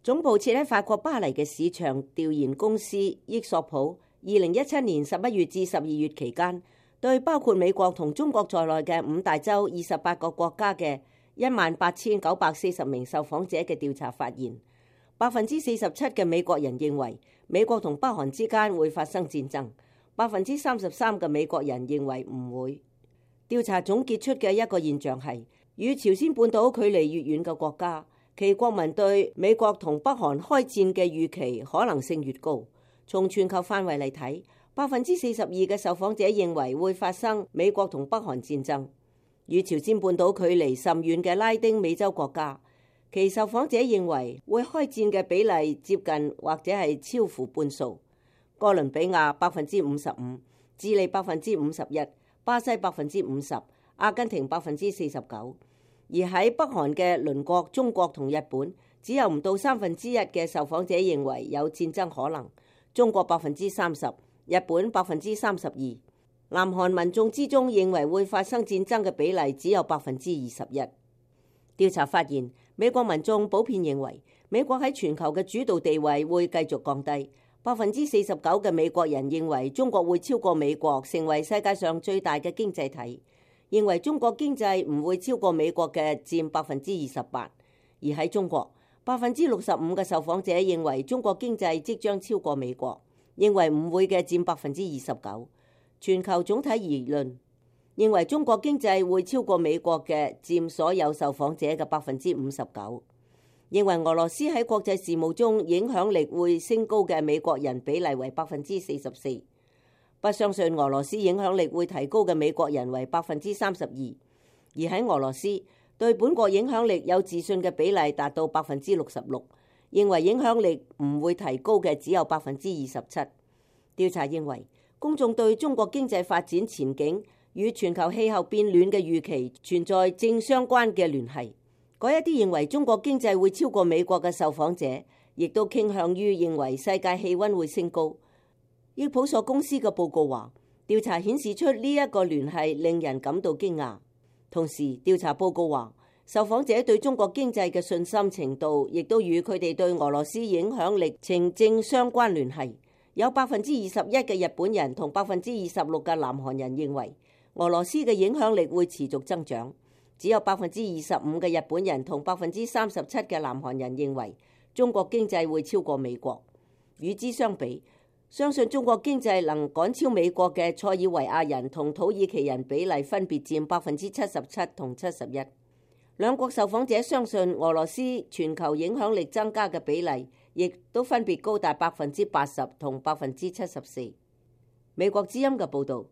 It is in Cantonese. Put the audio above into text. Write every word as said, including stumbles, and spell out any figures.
總部設喺法國巴黎嘅市場調研公司益索普，二零一七年十一月至十二月期間，對包括美國同中國在內嘅五大洲二十八個國家嘅一萬八千九百四十名受訪者嘅調查發現，百分之四十七嘅美國人認為美國同北韓之間會發生戰爭，百分之三十三嘅美國人認為唔會。調查總結出嘅一個現象係，與朝鮮半島距離越遠嘅國家，其國民對美國同北韓開戰嘅預期可能性越高。從全球範圍嚟睇，百分之四十二嘅受訪者認為會發生美國同北韓戰爭。與朝鮮半島距離甚遠嘅拉丁美洲國家，其受訪者認為會開戰嘅比例接近或者係超乎半數。哥倫比亞百分之五十五，智利百分之五十一，巴西百分之五十，阿根廷百分之四十九。而喺北韓嘅鄰國中國同日本，只有唔到三分之一嘅受訪者認為有戰爭可能。中國百分之三十，日本百分之三十二。南韓民眾之中認為會發生戰爭嘅比例只有百分之二十一。調查發現，美國民眾普遍認為美國喺全球嘅主導地位會繼續降低。百分之四十九嘅美國人認為中國會超過美國成為世界上最大嘅經濟體，認為中國經濟唔會超過美國嘅佔百分之二十八。而喺中國，百分之六十五嘅受訪者認為中國經濟即將超過美國，認為唔會嘅佔百分之二十九。全球總體而論，認為中國經濟會超過美國嘅佔所有受訪者嘅百分之五十九。認為俄羅斯喺國際事務中影響力會升高嘅美國人比例為百分之四十四。不相信俄羅斯影響力會提高嘅美國人為百分之三十二。而喺俄羅斯，對本國影響力有自信嘅比例達到百分之六十六。認為影響力唔會提高嘅只有百分之二十七。調查認為，公眾對中國經濟發展前景與全球氣候變暖嘅預期存在正相關嘅聯繫。嗰一啲認為中國經濟會超過美國嘅受訪者，亦都傾向於認為世界氣溫會升高。益普索公司嘅報告話，調查顯示出呢一個聯繫令人感到驚訝。同時，調查報告話，受訪者對中國經濟嘅信心程度，亦都與佢哋對俄羅斯影響力呈正相關聯繫。有百分之二十一嘅日本人同百分之二十六嘅南韓人認為俄羅斯嘅影響力會持續增長，只有百分之二十五嘅日本人同百分之三十七嘅南韓人認為中國經濟會超過美國。與之相比，相信中國經濟能趕超美國嘅塞爾維亞人同土耳其人比例分別佔百分之七十七同七十一。兩國受訪者相信俄羅斯全球影響力增加嘅比例，亦都分別高達百分之八十同百分之七十四。美國之音嘅報導。